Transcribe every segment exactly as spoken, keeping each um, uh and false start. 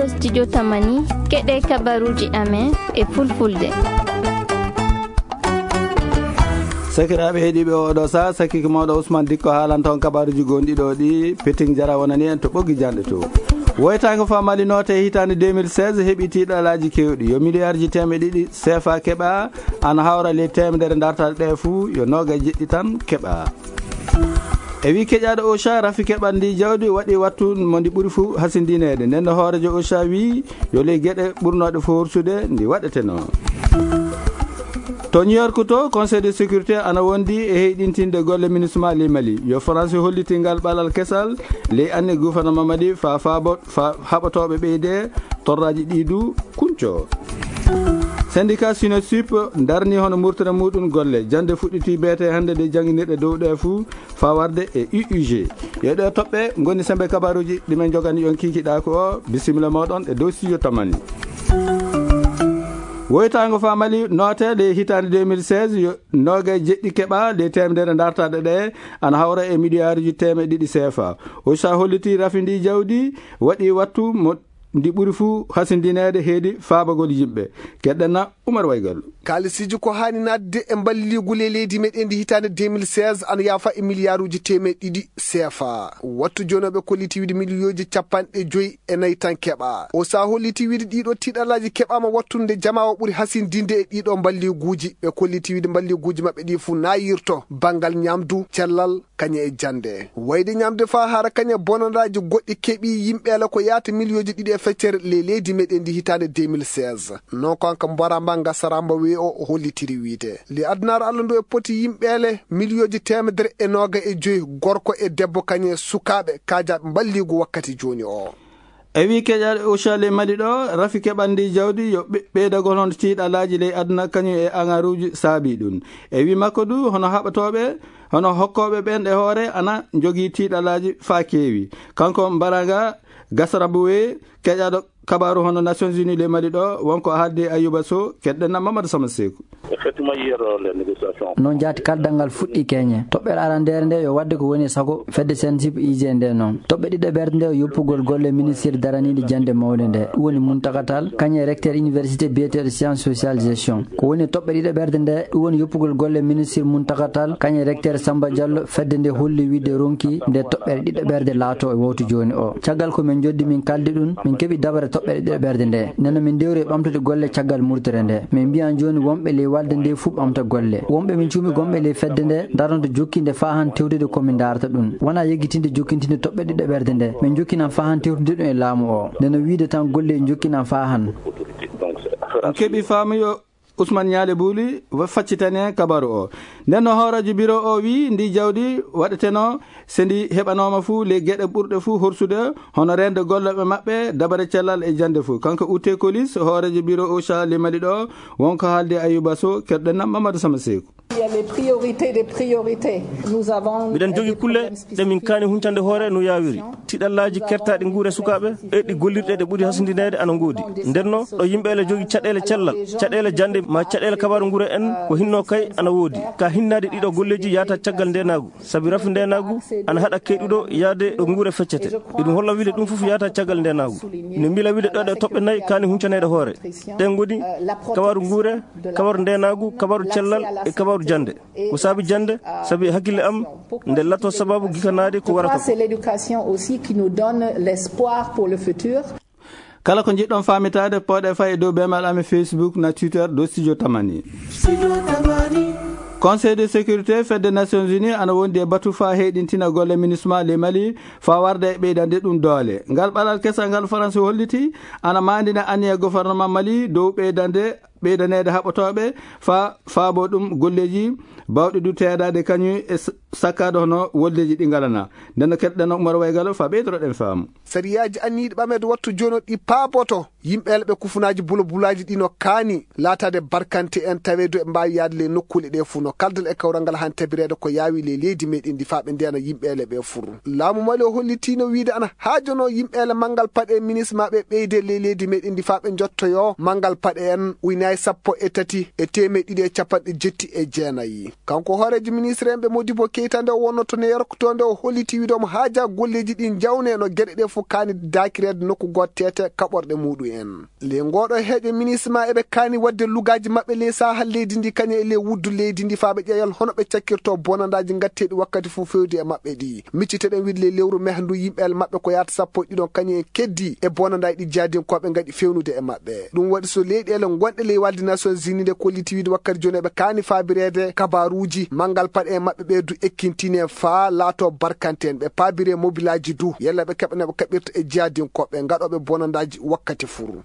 Studio Tamani, keɗe kabaruji amen e fulfulde. Sakiraaɓe heɗiiɓe, oɗo sa sakiki mawɗo Ousmane Dikko haalanta on kabaruji gonɗi ɗo ɗi. Peting Jara wonani en to ɓoggi janɗe to. Woytaango fa Mali noote hitaande deux mille seize heɓi tiiɗalaaji kewɗi. Yo miliyaarji teemeɗe ɗiɗi seefa keɓa, ana hawra ley teemedere dartaɗe ɗe fuu, yo nooga e jeɗɗi tan keɓa. E wi keƴaaɗo Ocha, rafi keɓal ndi jawdi waɗi wattu mo ndi ɓuri fuu hasindineede. Nden no hoorejo Ocha wi yo ley geɗe ɓurnooɗe fuu horsude ndi waɗeteno. To New York to, Conseil de sécurité ana wondi e heyɗintinde golle MINUSMA ley Mali. Yo France holliti ngal ɓalal kesal ley anne gouvernement Mali fa faabo fa haɓotooɓe ɓeyde torraaji ɗi du kunco. Syndicat Sinosip darni hono murtere muɗum golle. Jannde fuɗɗiti beete hannde nde jannginirɗe dow ɗe fuu fa warde e U U G. Yo ɗe toɓɓe ngoni sembe kabaruji ɗi men jogani on kikiɗaaku o. Bisimilla moɗon e dow studio Tamani. Woytaango fa Mali noote ley hitaande deux mille seize, yo nooga e jeɗɗi keɓa ley teemedere dartaɗe ɗe, ana hawra e miliyaaruji teemeɗe ɗiɗi seefa. Ocha holliti rafi ndi jawdi waɗi wattu mo ndi ɓuri fuu hasindineede heedi faabagol yimɓe. Keɗɗen na Umar Waygal. Kaalisiiji ko haani naatde e mballigu ley leydi meɗen ndi hitaande deux mille seize ana yaafa e miliyaaruji teemeɗe ɗiɗi seefa. Wattu jooni o ɓe kolliti wiide miliyooji capanɗe joyi e nayi tan keɓa. Ocha holliti wiide ɗiɗo tiiɗalaaji keɓaama wattunde jamaa o ɓuri hasindinde e ɗiɗo mballiguuji. Ɓe kolliti wiide mballiguuji maɓɓe ɗi fuu naayirto banngal ñamdu, cellal, kañe e jannde. Wayde ñamde faa hara kañe bonandaaji goɗɗi keɓi yimɓe ala ko yaata miliyooji ɗiɗi e feccere ley leydi meɗen ndi hitaande deux mille seize. Non ko hanka Mboramba Ngasaramba wi o hollitiri wiide. Li adunaaru Allah ndu e poti yimɓe ele miliyooji teemedere e nooga e joyi gorko e debbo kañe sukaaɓe kaajaaɓe mballigu wakkati jooni o. E wi keƴaaɗo Ocha ley Mali ɗo, rafi keɓal ndi jawdi yo ɓe-, ɓeydagol hono tiiɗalaaji ley aduna kañum e angaruuji saabi ɗum. E wi makko du, hono haɓatooɓe, hono hokkooɓe ɓen ɗe hoore ana njogii tiiɗalaaji faa keewi. Kanko Mbaranga Gasarabuwe, keƴaaɗo kabaaru hono Nations Unies ley Mali ɗo, wonko haaldi Ayuba Sow, keɗɗen na Mamadou Sama Seeku. Effectivement, hier, euh, les négociations. Noon jaati kaldal ngal fuɗɗi keñe. Toɓɓere arandeere nde yo waɗde ko woni e sago fedde C N S I P I G nde noon. Toɓɓe ɗiɗaɓerde nde yo yoppugol golle ministir daraniiɗo jannde mawnde nde. Ɗum woni Muntaka Tall, kañum e recteur université biyeteeɗo science sociale gestion. Ko woni e toɓɓe ɗiɗaɓerde nde, ɗum woni yoppugol golle ministir Muntaka Tall, kañum e recteur Samba Diallo, fedde nde holli wiide ronki nde toɓɓere ɗiɗaɓerde laato e wowtu jooni o. Caggal ko min njoddi min kaldi ɗum, min keɓi dabare toɓɓere ɗiɗaɓerde nde. Nden no min ndewri e ɓamtude golle caggal murtere nde. Min mbiyan jooni wonɓe ley walde nde fuu ɓamta golle. Wonɓe min cuumi gonɓe ley fedde nde, daronto jokkinde faa han tewtude ko min ndaarata ɗum. Wonaa yeggitinde jokkintinde toɓɓe ɗiɗaɓerde nde. Min jokkinan faa han tewtude ɗum e laamu o. Nden no wiide tan golle jokkinan faa han. On keɓi faamu yo Ousmane Ñaale Buuli wa-, faccitani en kabaru o. Nden no hooreejo biro o wi ndi jawdi waɗeteno se ndi heɓanooma fuu ley geɗe ɓurɗe fuu horsude, hono reende gollooɓe maɓɓe, dabare cellal e jannde fuu. Kanko Ute Kolis, hooreejo biro Ocha ley Mali ɗo, wonko haaldi Ayuba Sow, keɗɗen na Mamadou Sama Seeku. Il y a les priorités des priorités. Nous avons Miɗen jogi des kulle problèmes ɗe min kaani huncande hoore no yaawiri. Tiɗallaaji kertaaɗi nguure sukaaɓe e ɗi gollirɗe ɗe ɓuri hasindineede ana ngoodi. Nden no ɗo yimɓe ele jogi caɗeele cellal, caɗeele jannde ma caɗeele kabaaru nguure en ko hinno kay ana woodi. Ka hinnaade ɗiɗo golleeji yaata caggal ndeenaagu. Sabi rafi ndeenaagu ana haɗa keyɗuɗo yaade ɗo nguure feccete. Eɗum holla wiide ɗum fof yaata caggal ndeenaagu. Ina mbila wiide ɗo ɗe toɓɓe nayi kaani huncaneede hoore. Ɗen ngoni kabaaru nguure, kabaaru ndeenaagu, kabaaru cellal e kabaaru jannde. Ko saabi jannde, sabi e hakkille am, nde lato sababu gikanaade ko warata ko. C'est l'éducation aussi qui nous donne l'espoir pour le futur. Kala ko njiɗɗon faamitaade, pooɗe fay e dow beemal amen Facebook na Twitter dow Studio Tamani. Conseil de sécurité fedde Nations Unies ana wondi e batu faa heyɗintina golle MINUSMA ley Mali faa warda e ɓeydande ɗum doole. Ngal ɓalal kesal ngal Faransi holliti ana maandina aniya gouvernement Mali dow ɓeydande ɓeydaneede haɓotooɓe faa faabo ɗum golleeji baawɗi du teedaade kañum e s-, sakkaade hono woldeeji ɗi ngalana. Nden no keɗɗen Umar Waygalo faa ɓeydoroɗen faamu. Sariyaaji anniyiiɗi ɓameede wattu jooni o ɗi paaboto yimɓe ele ɓe kufunaaji bulabulaaji ɗi no kaani laataade barkante en taweede e mbaawi yaade ley nokkuule ɗe fuu no kaldal e kawral ngal han tabireede ko yaawi ley leydi meɗen ndi faa ɓe ndeena yimɓe ele ɓe fur. Laamu Mali o hollitiino wiide ana haajono yimɓe ele manngal paɗe MINUSMA ɓe ɓeyde ley leydi meɗen ndi faa ɓe njottoyo manngal paɗe en ujunere ay sappo e tati e teemeɗe ɗiɗi e capanɗe jetti e jeenayi. Kanko hooreejo ministre en ɓe Modibo Keita nde o wonno to New York to nde o holliti wiide omo haaja golleeji ɗi jawne no geɗe ɗe fof kaani daakireede nokku gooto teete kaɓorɗe muɗum en. Le ngooɗo heeƴo ministre ma eɓe kaani waɗde lugaaji maɓɓe ley sahal leydi ndi kañum e ley wuddu leydi ndi faa ɓe ƴeewal hono ɓe cakkirto bonandaaji ngatteeɗi wakkati fof fewde e maɓɓe ɗi. Micciteɗen wiide ley lewru mehdu yimɓe el maɓɓe ko yaata sappo e ɗiɗon kañum en keddi e bonandaaji ɗi jaadinkooɓe ngaɗi fewnude e maɓɓe. Ɗum waɗi so leyɗeele gonɗe ley walde Nations Unies nde kolliti wiide wakkati jooni eɓe kaani faabireede kabaruuji manngal paɗe e maɓɓe ɓe du ekkintinee faa laato barkante en ɓe paabiree mobilaaji du yalla ɓe keɓa no ɓe kaɓirta e jaadinkooɓe ngaɗooɓe bonandaaji wakkati furu.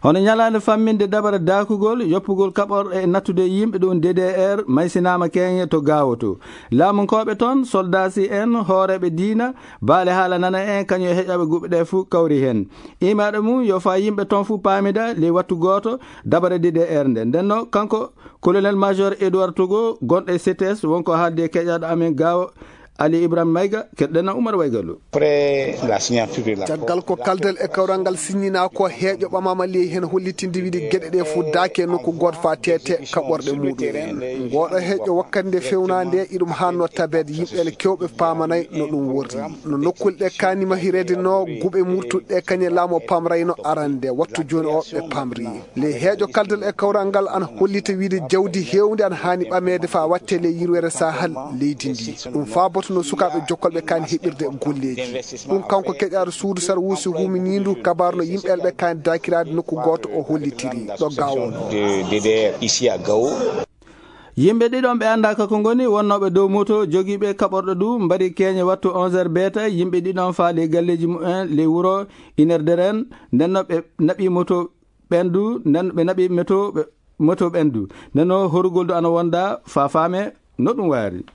Hono ñalaande famminde dabare daakugol, yoppugol kaɓorɗe e nattude yimɓe ɗum D D R maysinaama keeñe to Gaawoto. Laamunkooɓe toon, soldaasi en, hooreeɓe diina, baale haala nana en, kañum e heƴooɓe guɓe ɗe fuu kawri heen. Iimaaɗo mum yo faa yimɓe toon fuu paamida ley wattu gooto dabare D D R nde. Nden no kanko colonel major Edouard Togo gonɗo e C T S wonko haaldi e keƴaaɗo amen Gaawo Ali Ibrahima Mayga, keɗɗen Oumar Waygallo. Après la signature de la Caggal ko kaldal e kawral ngal siññinaa ko, heeƴo ɓamaama ley heen hollitinde wiide geɗe ɗe fof daake nokku gooto faa teete kaɓorɗe muɗum en. Ngooɗo heeƴo wakkati nde fewnaa nde iɗum haanno tabeede yimɓe ene keewɓe paamanay no ɗum worri. No nokkuule ɗe kaani mahireede no guɓe murtuɗe ɗe kañe laamu o pamrayno arande wattu jooni o ɓe pamri. Ley heeƴo kaldal e kawral ngal ana hollita wiide jawdi heewndi ana haani ɓameede faa watte ley yirwere sahal leydi ndi. Ɗum faaboto no sukaaɓe jokkolɓe kaani heɓirde golleeji. Ɗum kanko keƴaaɗo suudu sarwuusi huminiindu kabaaru no yimɓe elɓe kaani daakiraade nokku gooto o hollitiri ɗo Gaawo. De, D D R ici à Gao. Yimɓe ɗiɗon ɓe anndaaka ko ngoni wonnooɓe dow moto jogiiɓe kaɓorɗo du mbari keeñe wattu onze heures beeta yimɓe ɗiɗon faa ley galleeji mumen ley wuro Inerderen. Nden no ɓe naɓi moto ɓendu, nden ɓe naɓi moto ɓe, moto ɓendu. Nden no horugol du ana wonda faa faame no ɗum waari.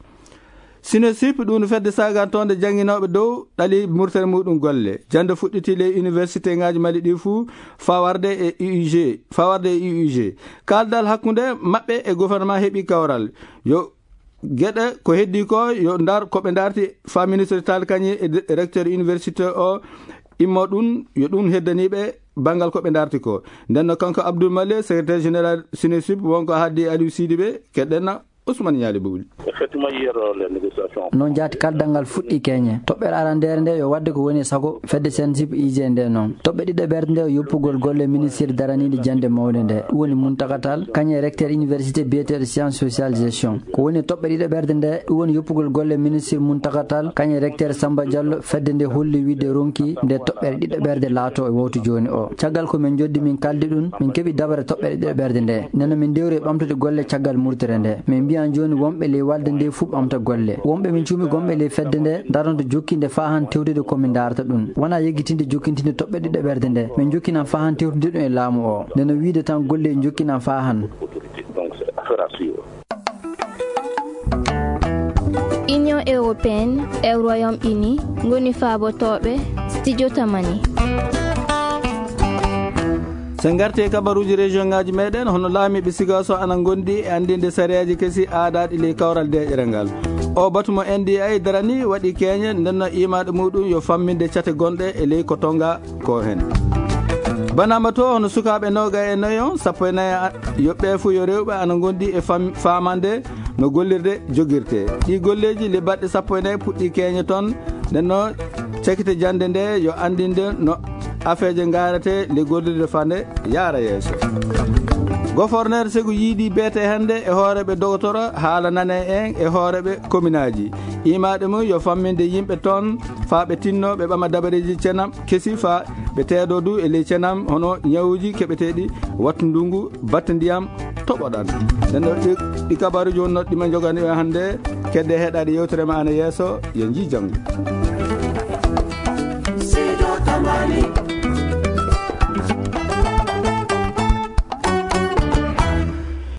Sinosip ɗum fedde sagantonde jannginooɓe dow ɗali murtere muɗum golle. Jannde fuɗɗiti ley université ngaji Mali ɗi fuu fawarde e U U G, fawarde e U U G. Kaldal hakkunde maɓɓe e gouvernement heɓi kawral. Yo geɗe ko heddi ko yo ndar ko ɓe ndarti fa ministre tal kañi e de-, recteur université o immo ɗum yo ɗum heddaniɓe banngal ko ɓe ndarti ko. Nden no kanko Abdoul Male, secrétaire général Sinosip, wonko haddi Aliou Sidibé, keɗɗen Ousmane Nialy Bowli. Effectivement, hier, euh, les négociations. Noon jaati kaldal ngal fuɗɗi keeñe. Toɓɓere arandeere nde yo waɗde ko woni e sago fedde Sinosip I G nde noon. Toɓɓe ɗiɗo ɓerde nde yoppugol golle ministre daraniiɗo jannde mawnde nde. Ɗum woni Muntaka Tall, kañum e recteur université biyeteeɗo science sociale gestion. Ko woni toɓɓe ɗiɗo ɓerde nde, ɗum woni yoppugol golle ministre Muntaka Tall, kañum e recteur Samba Diallo, fedde nde holli wiide ronki nde toɓɓere ɗiɗo ɓerde laato e wowto jooni o. Caggal ko min joddi min kaldi ɗum, min keɓi dabare toɓɓere ɗiɗo ɓerde nde. Nden no min ndewri e ɓamtude golle caggal murtere nde. Min mbiyan jooni wonɓe ley walde nde fuu ɓamta golle. Wonɓe min cuumi gonɓe ley fedde nde, daronto jokkinde faa han tewtude ko min ndaarata ɗum. Wonaa yeggitinde jokkintinde toɓɓere ɗiɗo ɓerde nde. Min jokkinan faa han tewtude ɗum e laamu o. Nden no wiide tan golle jokkinan faa han. Donc, c'est affaire à suivre. Union européenne e Royaume-Uni ngoni faabotooɓe studio Tamani. So en ngarti e kabaruuji région ngaji meɗen, hono laamiiɓe Sigaso ana ngondi e anndinde sariyaaji kesi aadaaɗi ley kawral deeƴere ngal. O batu mo N D I darani waɗi keeñe, nden no iimaaɗo muɗum yo famminde cate gonɗe e ley ko tonga ko heen. Banama to hono sukaaɓe nooga e nayo, sappo e nayo a-, yo ɓe fuu yo rewɓe ana ngondi e fam-, faamande no gollirde jogirte. Ɗi golleeji le baɗɗe sappo e nayo puɗɗi keeñe toon, nden no cakite jannde nde yo anndinde no afeeje ngarate le gollirde fande yaara yeeso. Goforneer Segu yiidi beete hannde e hooreeɓe dogotoro haala nane en e hooreeɓe kominaaji. Iimaaɗo mum yo famminde yimɓe toon faa ɓe tinno ɓe ɓama dabareeji cenam kesi faa ɓe teedo du e ley cenam hono ñawuuji keɓeteeɗi wattu ndungu batte ndiyam toɓoɗan. Nden ɗo ɗi, ɗi kabaruuji wonnoo ɗi ma njogani on hannde. Kedde heɗaade yewtere ma ana yeeso. Yo njii janngo.